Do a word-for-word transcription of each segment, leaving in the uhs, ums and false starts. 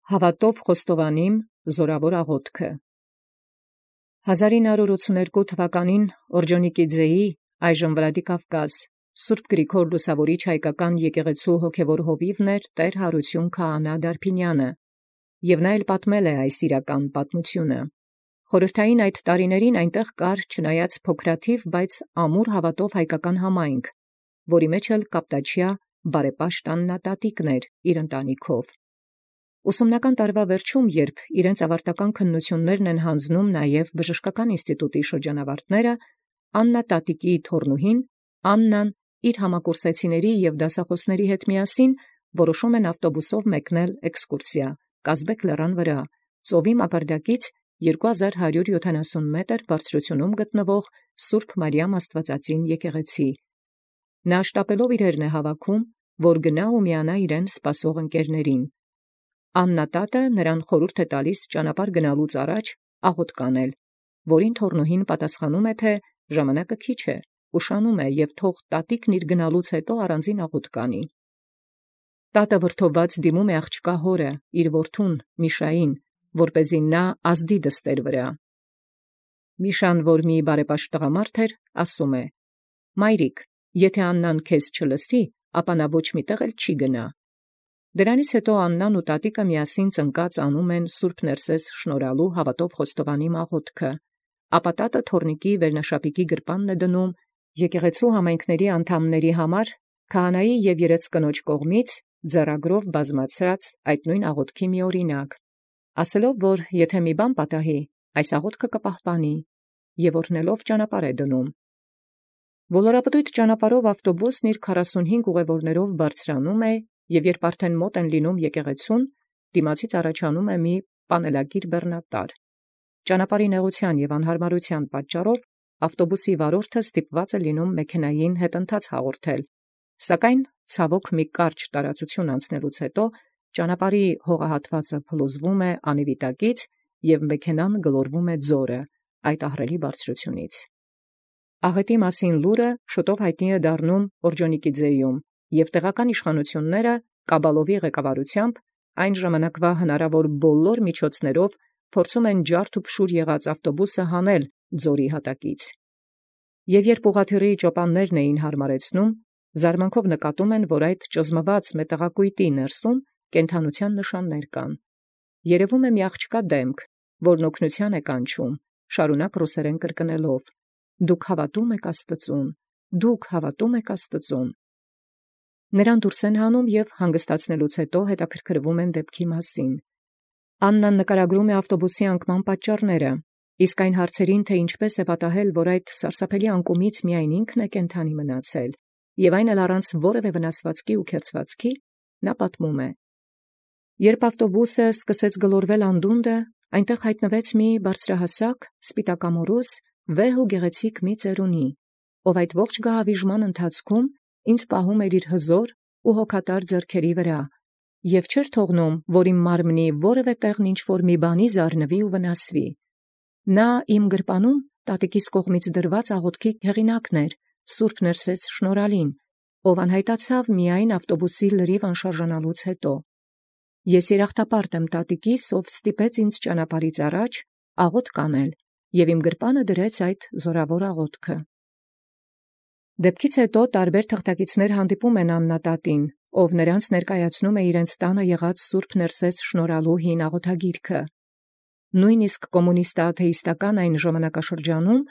Հաւատով խոստովանիմ զորաւոր աղոթքը։ հազար ինը հարյուր ութսուներկու թվականին Օրջոնիկիձեի այժմ Վլադիկավկազ Սուրբ Գրիգոր Լուսավորիչ հայկական եկեղեցու հոգևոր հովիւն էր տէր Հարություն Քահանա Դարբինյանը, և նա էլ պատմել է այս իրական պատմությունը։ Խորհրդային այդ տարիներին այնտեղ կար չնայած փոքրաթիվ, բայց ամուր հաւատով հայկական համայնք, որի մեջ էլ կապտաչյա բարեպաշտ Աննա տատիկն էր իր ընտանիքով։ Ուսումնական տարվա վերջում, երբ իրենց ավարտական քննություններն են հանձնում նաև բժշկական ինստիտուտի շրջանավարտները, Աննա տատիկի թոռնուհին Աննան իր համակուրսեցիների և դասախոսների հետ միասին որոշում են ավտոբուսով մեկնել էքսկուրսիա Կազբեկ լեռան վրա, ծովի մակարդակից երկու հազար հարյուր յոթանասուն մետր բարձրությունում գտնվող Սուրբ Մարիամ Աստվածածին եկեղեցի։ Նա շտապելով իրերն է հավաքում, որ գնա ու միանա իրեն սպասող ընկերներին։ Աննա տատը նրան խորհուրդ է տալիս ճանապարհ գնալուց առաջ աղոթք անել, որին թոռնուհին պատասխանում է, թե ժամանակը քիչ է, ուշանում է և թող տատիկն իր գնալուց հետո առանձին աղոթք անի։ Տատը վրդովված դիմում է աղջկա հորը, իր որդուն Միշային, որպեսզի նա ազդի դստեր վրա։ Միշան, որ մի բարեպաշտ տղամարդ էր, ասում է. «Մայրիկ, եթե Աննան քեզ չլսի, ապա նա ոչ մի տեղ էլ չի գնա»։ Դրանից հետո Աննան ու տատիկը միասին ծնկած անում են Սուրբ Ներսես շնորհալու հաւատով խոստովանիմ աղոթքը, ապա տատը թոռնիկի վերնաշապիկի գրպանն է դնում եկեղեցու համայնքների անդամների համար քահանայի և երեց կնոջ կողմից ձեռագրով բազմացած այդ նույն աղոթքի մի օրինակ, ասելով, որ եթե մի բան պատահի, այս աղոթքը կպահպանի, և օրհնելով ճանապարհ է դնում։ Ոլորապտույտ ճանապարհով ավտոբուսն իր քառասունհինգ ուղևորներով բարձրանում է, և երբ արդեն մոտ են լինում եկեղեցուն, դիմացից առաջանում է մի պանելակիր բեռնատար։ Ճանապարհի նեղության և անհարմարության պատճառով ավտոբուսի վարորդը ստիպված է լինում մեքենային հետընթաց հաղորդել, սակայն ցավոք մի կարճ տարածություն անցնելուց հետո ճանապարհի հողահատվածը փլուզվում է անիվիտակից, և մեքենան գլորվում է ձորը այդ ահռելի բարձրությունից։ Աղետի մասին լուրը շուտով հայտնի է դառնում Օրջոնիկիձեում, և տեղական իշխանությունները Կաբալովի ղեկավարությամբ այն ժամանակվա հնարավոր բոլոր միջոցներով փորձում են ջարդ ու փշուր եղած ավտոբուսը հանել ձորի հատակից։ Եւ երբ ուղղաթիռի ճոպաններն էին հարմարեցնում, զարմանքով նկատում են, որ այդ ճզմված մետաղակույտի ներսում կենդանության նշաններ կան։ Երևում է մի աղջկա դեմք, որն օգնության է կանչում, շարունակ ռուսերեն կրկնելով. «Դուք հավատում եք Աստծուն, դուք հավատում եք Աստծուն»։ Նրան դուրս են հանում և հանգստացնելուց հետո հետաքրքրվում են դեպքի մասին։ Աննան նկարագրում է ավտոբուսի անկման պատճառները, իսկ այն հարցերին, թե ինչպես է պատահել, որ այդ սարսափելի անկումից միայն ինքն է կենդանի մնացել, և այն էլ առանց որևէ վնասվածքի ու քերծվածքի, նա պատմում է. «Երբ ավտոբուսը սկսեց գլորվել անդունդը, այնտեղ հայտնվեց մի բարձրահասակ, սպիտակամորուս, վեհ ու գեղեցիկ մի ծերունի, ով այդ ողջ գահավիժման ընթացքում ինձ պահում էր իր հզոր ու հոգատար ձեռքերի վրա, և չէր թողնում, որ իմ մարմնի որևէ տեղն ինչ-որ մի բանի զարնվի ու վնասվի։ Նա իմ գրպանում տատիկիս կողմից դրված աղոթքի հեղինակն էր, Սուրբ Ներսես շնորհալին, ով անհայտացավ միայն ավտոբուսի լրիվ անշարժանալուց հետո։ Ես երախտապարտ եմ տատիկիս, ով ստիպեց ինձ ճանապարհից առաջ աղոթք անել և իմ գրպանը դրեց այդ զորավոր աղոթքը»։ Դեպքից հետո տարբեր թղթակիցներ հանդիպում են Աննա տատին, ով նրանց ներկայացնում է իրենց տանը եղած Սուրբ Ներսես շնորհալու հին աղոթագիրքը։ Նույնիսկ կոմունիստաաթեիստական այն ժամանակաշրջանում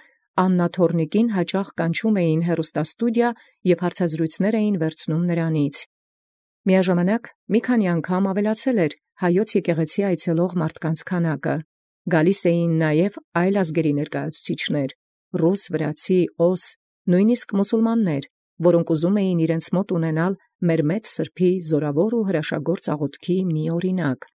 Աննա թոռնիկին հաճախ կանչում էին հեռուստաստուդիա և հարցազրույցներ էին վերցնում նրանից։ Միաժամանակ մի քանի անգամ ավելացել էր հայոց եկեղեցի այցելող մարդկանց քանակը, գալիս էին նաև այլ ազգերի ներկայացուցիչներ՝ ռուս, վրացի, օս, նույնիսկ մուսուլմաններ, որոնք ուզում էին իրենց մոտ ունենալ մեր մեծ սրբի զորավոր ու հրաշագործ աղոթքի մի օրինակ,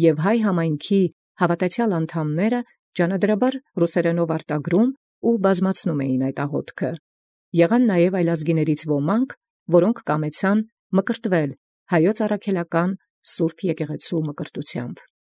և հայ համայնքի հավատացյալ անդամները ջանադրաբար ռուսերենով արտագրում ու բազմացնում էին այդ աղոթքը։ Եղան նաև այլազգիներից ոմանք, որոնք կամեցան մկրտվել հայոց առաքելական Սուրբ եկեղեցու մկրտությամբ։